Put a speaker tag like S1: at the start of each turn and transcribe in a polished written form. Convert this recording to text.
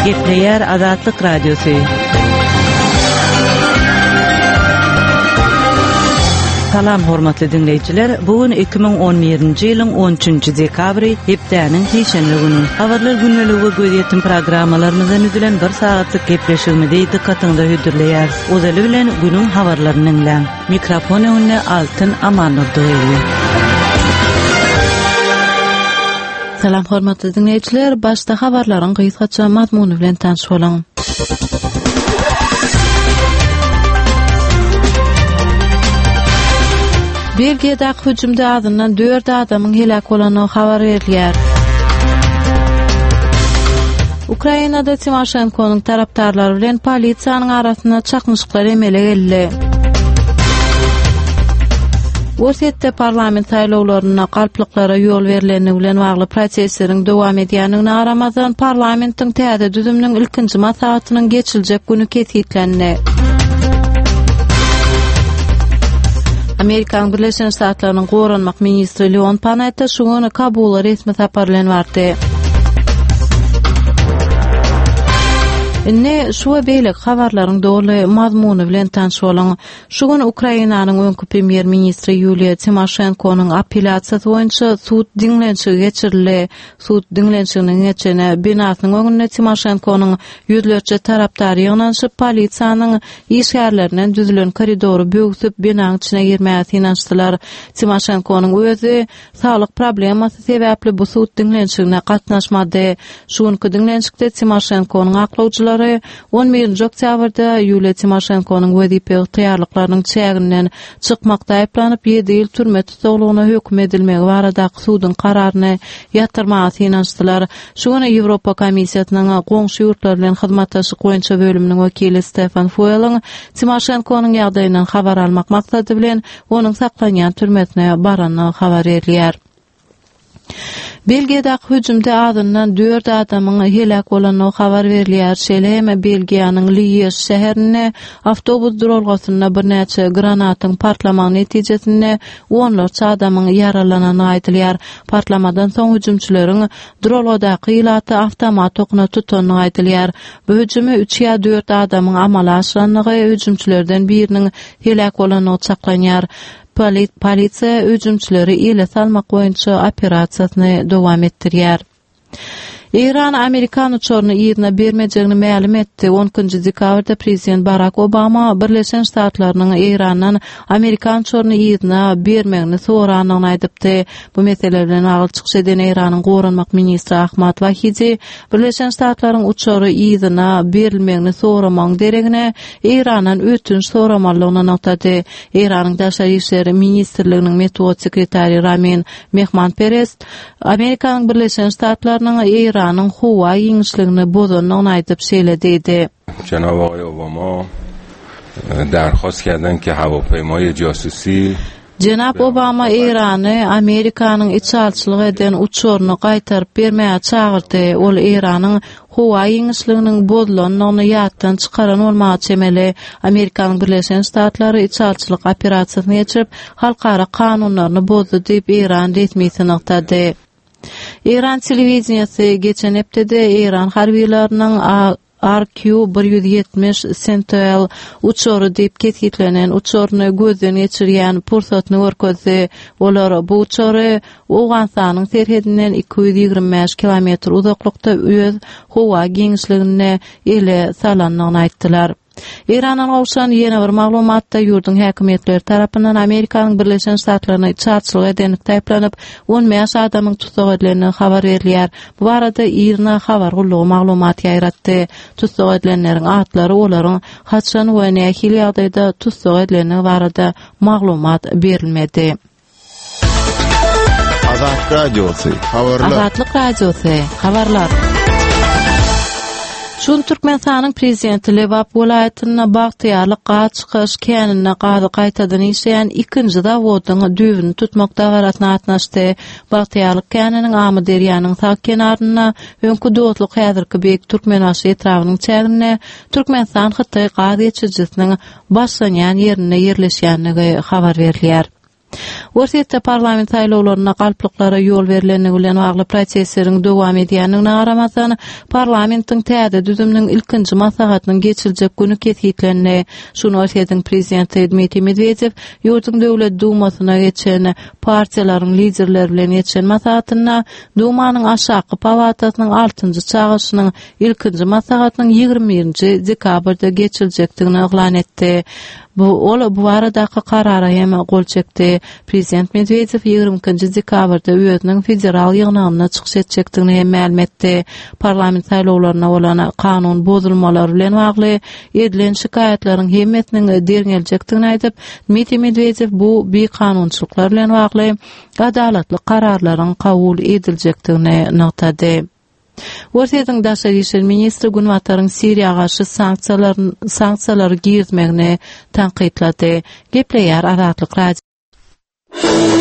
S1: Gepleýär Azatlyk Radiosy. Salam hormatly diňleýjiler. Bu gün 2011-nji ýylyň 13-nji dekabry, hepdäniň sişenbe güni. Habarlar gündeligi we gözýetim programmalarymyzdan düzülen bir sagatlyk gepleşigimizi dykgatyňyza hödürleýäris. Ozaly bilen günüň habarlaryny diňläň. Mikrofon öňünde Altyn Amannurdyýewa.
S2: Salam hormatly diňleýjiler, başda habarlaryň gysgaça mazmuny bilen tanyş boluň. Belgiýadaky hüjümde azyndan 4 adamyň heläk bolandygy habar berilýär. Ukrainada Timoşenkonyň tarapdarlary bilen polisiýanyň arasynda çaknyşyklar emele geldi. Orsýetde parlament saýlawlarynda galplyklara ýol berlendigi bilen bagly protestleriň dowam edýändigine garamazdan, parlamentiň täze düzüminiň ilkinji maslahatynyň geçiriljek güni kesgitlendi. Amerikanyň Birleşen Ştatlarynyň goranmak ministri Leon Panetta şu gün Kabula resmi sapar bilen bardy. Indi şu we beýleki habarlaryň doly mazmuny bilen tanyş boluň. Şu gün Ukrainanyň öňki premýer-ministri Ýuliýa Timoşenkonyň apelýasiýasy boýunça sud diňlenişigi geçirildi. Sud diňlenişiginiň geçen binasynyň öňünde Timoşenkonyň ýüzlerçe tarapdary ýygnanyşyp, polisiýanyň işgärlerinden düzülen koridory böwsüp, binaň içine girmäge synanyşdylar. Timoşenkonyň özi saglyk problemasy sebäpli bu sud diňlenişigine gatnaşmady. Şu günki diňlenişikde Timoşenkonyň aklawjylary on birinji oktýabrda Ýuliýa Timoşenkonyň wezipe ygtyýarlyklarynyň çäginden çykmakda aýyplanyp, ýedi ýyl türme tussaglygyna höküm edilmegi baradaky suduň kararyny ýatyrmaga synanyşdylar. Şu gün Ýewropa Komissiýasynyň goňşy ýurtlar bilen hyzmatdaşlyk boýunça bölüminiň wekili Stefan Fueliň Timoşenkonyň ýagdaýyndan habar almak maksady bilen onuň saklanýan türmesine barandygy habar berilýär. Belgiýadaky hüjümde azyndan dört adamyň heläk bolandygy habar berilýär. Şeýle hem Belgiýanyň Liýež şäherinde awtobus duralgasynda birnäçe granatyň partlamagy netijesinde onlarça adamyň ýaralanandygy aýdylýar. Partlamadan soň hüjümçileriň duralgadaky ilaty awtomat okuna tutandygy aýdylýar. Bu hüjümi üç ýa dört adamyň amala aşyrandygy, hüjümçilerden biriniň heläk bolandygy çaklanýar. Polisiýa hüjümçileri ele salmak boýunça operasiýasyny dowam etdirýär. Eýran amerikan uçaryny yzyna bermejegini mälim etdi. On ikinji dekabrda prezident Barak Obama Birleşen Ştatlarynyň Eýrandan amerikan uçaryny yzyna bermegini sorandygyny aýdypdy. Bu mesele bilen bagly çykyş eden Eýranyň goranmak ministri Ahmad Wahidi Birleşen Ştatlaryň uçary yzyna berilmegini soramagyň deregine Eýrandan ötünç soramalydygyny nygtady. Eýranyň Daşary işler ministrliginiň metbugat sekretary Ramin Mehmanperest Amerikanyň Birleşen Ştatlarynyň Eýranyň howa giňişligini bozandygyny aýdyp şeýle diýdi.
S3: Jenab Agay Obama darhost kerden ki hawapeymaye jasusi
S2: Jenap Obama Eýrany Amerikanyň içalyçylyk eden uçaryny gaýtaryp bermäge çagyrdy. Ol Eýranyň howa giňişliginiň bozulandygyny ýatdan çykaran bolmaga çemeli. Amerikanyň Birleşen Ştatlary içalyçylyk operasiýasyny geçirip, halkara kanunlaryny bozdy diýip, eýran resmisi nygtady. Eýran telewideniýesi geçen hepdede eýran harbylarynyň RQ 170 Sentinel uçary diýip kesgitlenen uçaryny gözden geçirýän pursatyny görkezdi. Olar bu uçary Owganystanyň serhedinden 225 kilometr uzaklykda öz howa giňişliginde ele salandygyny aýtdylar. Eýrandan gowşan ýene bir maglumatda ýurduň häkimiýetleri tarapyndan Amerikanyň Birleşen Ştatlaryna içalyçylyk edenlikde aýyplanyp, 15 adamyň tussag edilendigi habar berilýär. Bu barada IRNA habar gullugy maglumat ýaýratdy. Tussag edilenleriň atlary, olaryň haçan we nähili ýagdaýda tussag edilendigi barada maglumat berilmedi.
S4: Azat Radiosy, habarlar.
S2: Azatlyk Radiosy, habarlar. Şu gün Türkmenistanyň Prezidenti Lebap welaýatynda Bagtyýarlyk gaz çykaryş käninde gazy gaýtadan işleýän ikinji zawodyň düýbüni tutmak dabarasyna gatnaşdy. Bagtyýarlyk käniniň Amyderýanyň sag kenarynda, öňki Dostluk häzirki Beýik Türkmenbaşy etrabynyň çäginde Türkmenistan-Hytaý gaz geçirijisiniň başlanýan ýerinde ýerleşýändigi habar berilýär. Orsýetde parlament saýlawlarynda galplyklara ýol berlendigi bilen bagly protestleriň dowam edýändigine garamazdan, parlamentiň täze düzüminiň ilkinji maslahatynyň geçiriljek güni kesgitlendi. Şu gün Orsýetiň prezidenti Dmitriý Medwedew ýurduň Döwlet Dumasyna geçen partiýalaryň liderleri bilen geçen maslahatynda Dumanyň aşaky palatasynyň altynjy çagyryşynyň ilkinji maslahatynyň 21-nji dekabrda geçiriljekdigini yglan etdi. Bu ol bu baradaky karara hem gol çekdi. Prezident Medwedew 22-nji dekabrda özüniň federal ýygnagynda çykyş etjekdigini hem mälim etdi. Parlament saýlawlarynda bolan kanun bozulmalary bilen bagly edilen şikaýatlaryň hemmesiniň derňeljekdigini aýdyp, Dmitriý Medwedew bu bikanunçylyklar bilen bagly adalatly kararlaryň kabul ediljekdigini nygtady. Orsýetiň daşary işler ministri Günbataryň Siriýa garşy sanksiýalary girizmegini tankytlady. Gepleýär Azatlyk Radiosy.